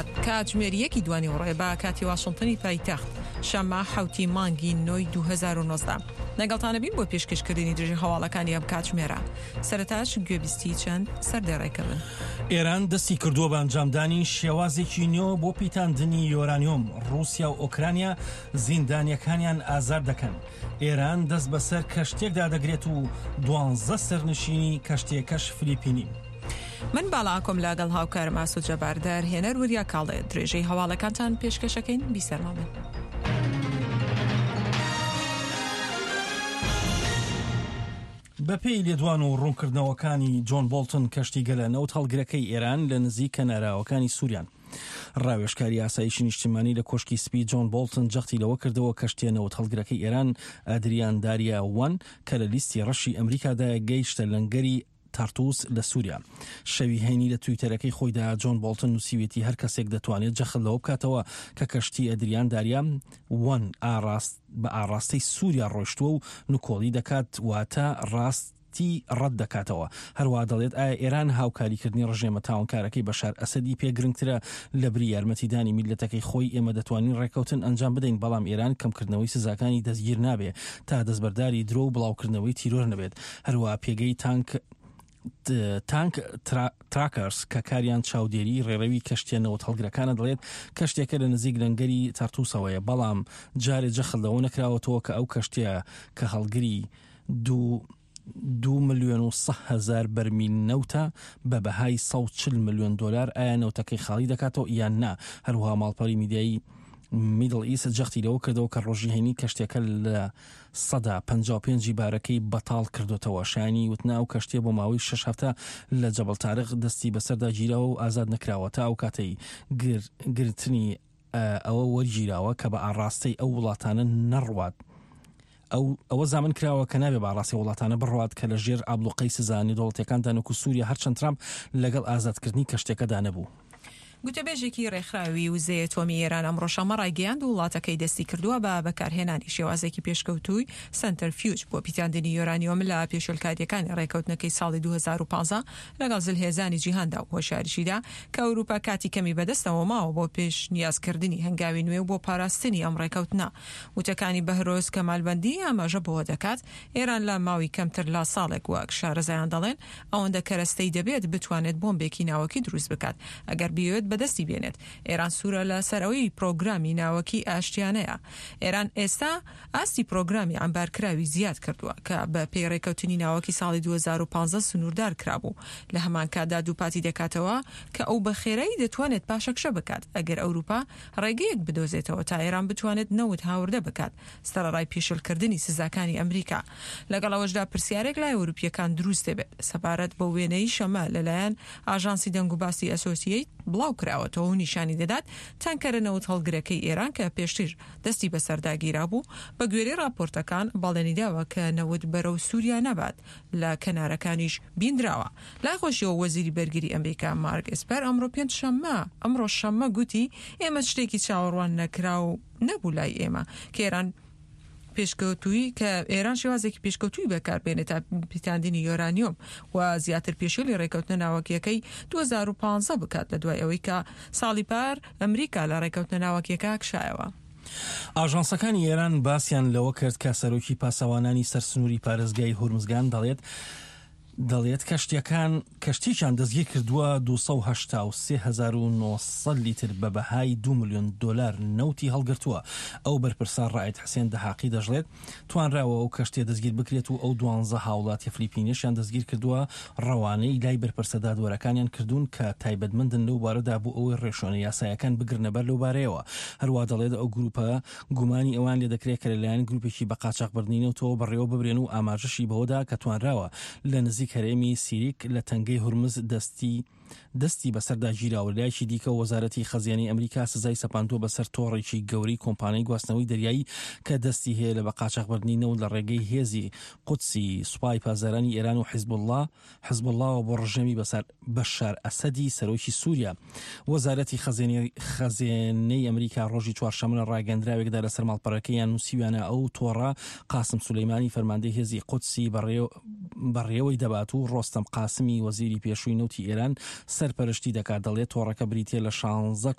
ڕۆژهەڵات کاتژمێر یەکی دوانیوەڕۆیە بە کاتی واشنتنی پایتەخت شەممە حەوتی مانگی نۆی 2019 لەگەڵتانە بین بۆ پێشکەشکردنی درێژەی هەواڵەکانی ئەم کاتژمێرە سەرەتاش گوێبیستی چەند سەردێڕێکە بن. ئێران دەستی کردووە بە ئەنجامدانی شێوازێکی نوێ بۆ پیتاندنی یۆرانیۆم، ڕووسیا و ئۆکرانیا زیندانییەکانیان ئازاد دەکەن. ئێران دەست بەسەر کەشتییەکدا دەگرێت و دوانزە سەرنشینی کەشتییەکەش فلیپینین. من باڵا ئاکۆم لەگەڵ هاوکارم ئاسۆ جەبار دەرهێنەر وریا کاڵێ درێژەی هەواڵەکانتان پێشکەشەکەین بیسەرمان بن. بەپێی لێدوان و ڕوونکردنەوەکانی جۆن بۆڵتن کەشتیگەلە نەوت هەڵگرەکەی ئێران لە نزیک کەناراوەکانی سووریان. ڕاوێژکاری ئاسایشی نیشتیمانی لە کۆشکی سپی جۆن بۆڵتن جەختی لەوە کردەوە کەشتیە نەوت هەڵگرەکەی ئێران ئەدریان داریا وەن کە لە لیستی ڕەشی ئەمریکادایە گەیشتە لەنگەری تارتوس لە سووریا. شەوی هەینی لە تویتەرەکەی خۆیدا جۆن بۆڵتن نووسیویەتی هەر کەسێک دەتوانێت جەخت لەوە بکاتەوە کە کەشتی ئەدریان داریا وەن ئاڕاست بە ئاڕاستەی سووریا ڕۆیشتووە و نکۆڵی دەکات واتە ڕاستی ڕەت دەکاتەوە. هەروەها دەڵێت ئایا ئێران هاوکاریکردنی ڕژێمە تاوانکارەکەی بەشار ئەسەدی پێ گرنگترە لەبری یارمەتیدانی میللەتەکەی خۆی ئێمە دەتوانین ڕێککەوتن ئەنجام بدەین بەڵام ئێران کەمکردنەوەی سزاکانی دەستگیر نابێ تا دەستبەرداری درۆ و بڵاوکردنەوەی تیرۆر نەبێت. هەروەها پێگەی تانک تانک تراکەرز کە کاریان چاودێری ڕێڕەوی کەشتیە نەوت هەڵگرەکانە دەڵێت کەشتێکە لە نزیک لەنگەری تەرتوسەوەیە بەڵام جارێ جەخت لەوە نەکراوەتەوە کە ئەو کەشتیە کە هەڵگری دوو دو ملیۆن و هەزار بەرمیل نەوتە بە بەهای 140 ملیۆن دۆلار ئایا نەوتەکەی خاڵی دەکاتەوە یان نا هەروەها ماڵپەری میدیایی میدڵ ئیست جەختی لەوە کردەوە کە ڕۆژی هەینی کەشتیەکە لە 55% ی بارەکەی بەتاڵ کردۆتەوە. شایانی وتنە ئەو کەشتیە بۆ ماوەی شەش هەفتە لە جەبەڵ تارق دەستی بەسەردا گیراوە و ئازاد نەکراوە تا ئەو کاتەی گرتنی ئەوە وەرگیراوە کە بە ئاڕاستەی ئەو وڵاتانە نەڕوات. ئەو ئەوە زامن کراوە کە نابێ بە ئاڕاستەی وڵاتانە بڕوات کە لە ژێر ئابڵوقەی سزا نێودەوڵەتیەکاندان وەکو سوریا هەرچەند ترامپ لەگەڵ ئازادکردنی کەشتیەکەدا نەبوو. گوتەبێژێکی رێکخراوی وزەی ئەتۆمی ئێران ئەمڕۆ شەممە رایگەیاند، وڵاتەکەی دەستیکردووە بە بەکارهێنانی شێوازێکی پێشکەوتووی سەنتەرفیوج بۆ پیتاندنی یۆرانیۆم لە پێشێلکارییەکانی رێککەوتنەکەی ساڵی 2015 لەگەڵ زلهێزانی جیهاندا و هۆشیاریشیدا کە ئەوروپا کاتی کەمی بەدەستەوە ماوە بۆ پێشنیازکردنی هەنگاوی نوێ و بۆ پاراستنی ئەم رێککەوتنە. وتەکانی بەهرۆز کەمالبەندی ئاماژە بەوە دەکات، ئێران لە ماوی کەمتر لە ساڵێک وەک شارەزایان دەڵێن ئەوەندە کەرەستەی دەبێت بتوانێت بۆمبێکی ناوەکی دروست بکات ئەگەر بیەوێت بەدەستی بێنێت. ئێران سوورە لە سەر ئەوەی پرۆگرامی ناوەکی ئاشتیانەیە. ئێران ئێستا ئاستی پرۆگرامی عەمبارکراوی زیاد کردووە کە بە پێی رێکەوتنی ناوەکی ساڵی 2015 سنووردار کرابوو. لە هەمان کاتدا دووپاتی دەکاتەوە کە ئەو بە خێرایی دەتوانێت پاشەکشە بکات ئەگەر ئەوروپا رێگەیەک بدۆزێتەوە تا ئێران بتوانێت نەوت هاوردە بکات سەرەڕای پێشێلکردنی سزاکانی ئەمریکا. لەگەڵ ئەوەشدا پرسیارێک لای ئەوروپییەکان دروست دەبێت سەبارەت بەو وێنەی شەمە لەلایەن ئاژانسی دەنگوباسی ئەسۆسیەیت بڵاوکراوەتەوە و نیشانی دەدات تانکەرە نەوتهەڵگرەکەی ئێران کە پێشتر دەستی بەسەردا گیرابوو بەگوێرەی ڕاپۆرتەکان بەڵێنیداوە کە نەوت بەرەو سوریا نەبات لە کەنارەکانیش بیندراوە. لای خۆشیەوە وەزیری بەرگری ئەمریکا مارک ئێسپەر ئەمڕۆ پێنجشەممە ئەمڕۆ شەممە گوتی ئێمە شتێکی چاوەڕوان نەکراو نەبوو لای ئێمە کە ئێران پێشکەوتووی کە ئێران شێوازێکی پێشکەوتووی بەکاربێنێت تا پیتاندنی یۆرانیۆم و زیاتر پێشێلی ڕێکەوتنە ناوەکیەکەی 2015 بکات لە دوای ئەوەی کە ساڵی پار ئەمریکا لە ڕێکەوتنە ناوەکیەکە کشایەوە. ئاژانسەکانی ئێران باسیان لەوە کرد کە سەرۆکی پاسەوانانی سەر سنووری پارێزگای هورمزگان دەڵێت، دەڵێت کەشتیەکان کەشتیەکیان دەستگیرکردووە 283900 لیتر بە بەهای 2 ملیۆن دۆلار نەوتی هەڵگرتووە. ئەو بەرپرسە ڕائید حسێن دەهاقی دەشڵێت، توانراوە ئەو کەشتیە دەستگیر بکرێت و ئەو دوانزە هاوڵاتیە فلیپینیەشیان دەستگیرکردووە ڕەوانەی لای بەرپرسە دادوەرەکانیان کردوون کە تایبەتمەندن لەو بارەدا بۆ ئەوەی ڕێوشوێنە یاسایەکان بگرنەبەر لەو بارەیەوە. هەروا دەڵێت ئەو گروپە گومانی ئەوەیان لێدەکرێت کە لەلایەن گروپێکی بە قاچاخبردنی نەوتەوە بەڕێوە ببرێن و ئاماژەشی بەوەدا کە توانراوە لە نزیک هەرێمی سیریک لە تەنگەی هورمز دەستی دەستی بەسەردا گیراوە. لەلایەکی دیکەوە وەزارەتی خەزێنەی ئەمریکا سزای سەپاندووە بەسەر تۆڕێکی گەورەی کۆمپانیای گواستنەوەی دەریایی کە دەستی هەیە لە بە قاچاخبردنی نەوت لە ڕێگەی هێزی قودسی سوپای پاسدارانی ئێران و حیزبوڵڵا حزبوڵڵاوە بۆ ڕژێمی بەشار ئەسەدی سەرۆکی سووریا. وەزارەتی خەزێنەی ئەمریکا ڕۆژی چوارشەممە لە ڕاگەندراوێکدا لەسەر ماڵپەڕەکەیان نووسیویانە ئەو تۆڕە قاسم سولەیمانی فەرماندەی هێزی قودسی بەڕێوەی دەبات و ڕۆستەم قاسمی وەزیری پێشووی نەوتی ئێران سەرپەرشتی دەکات دەڵێت تۆڕەکە بریتییە لە شانزە.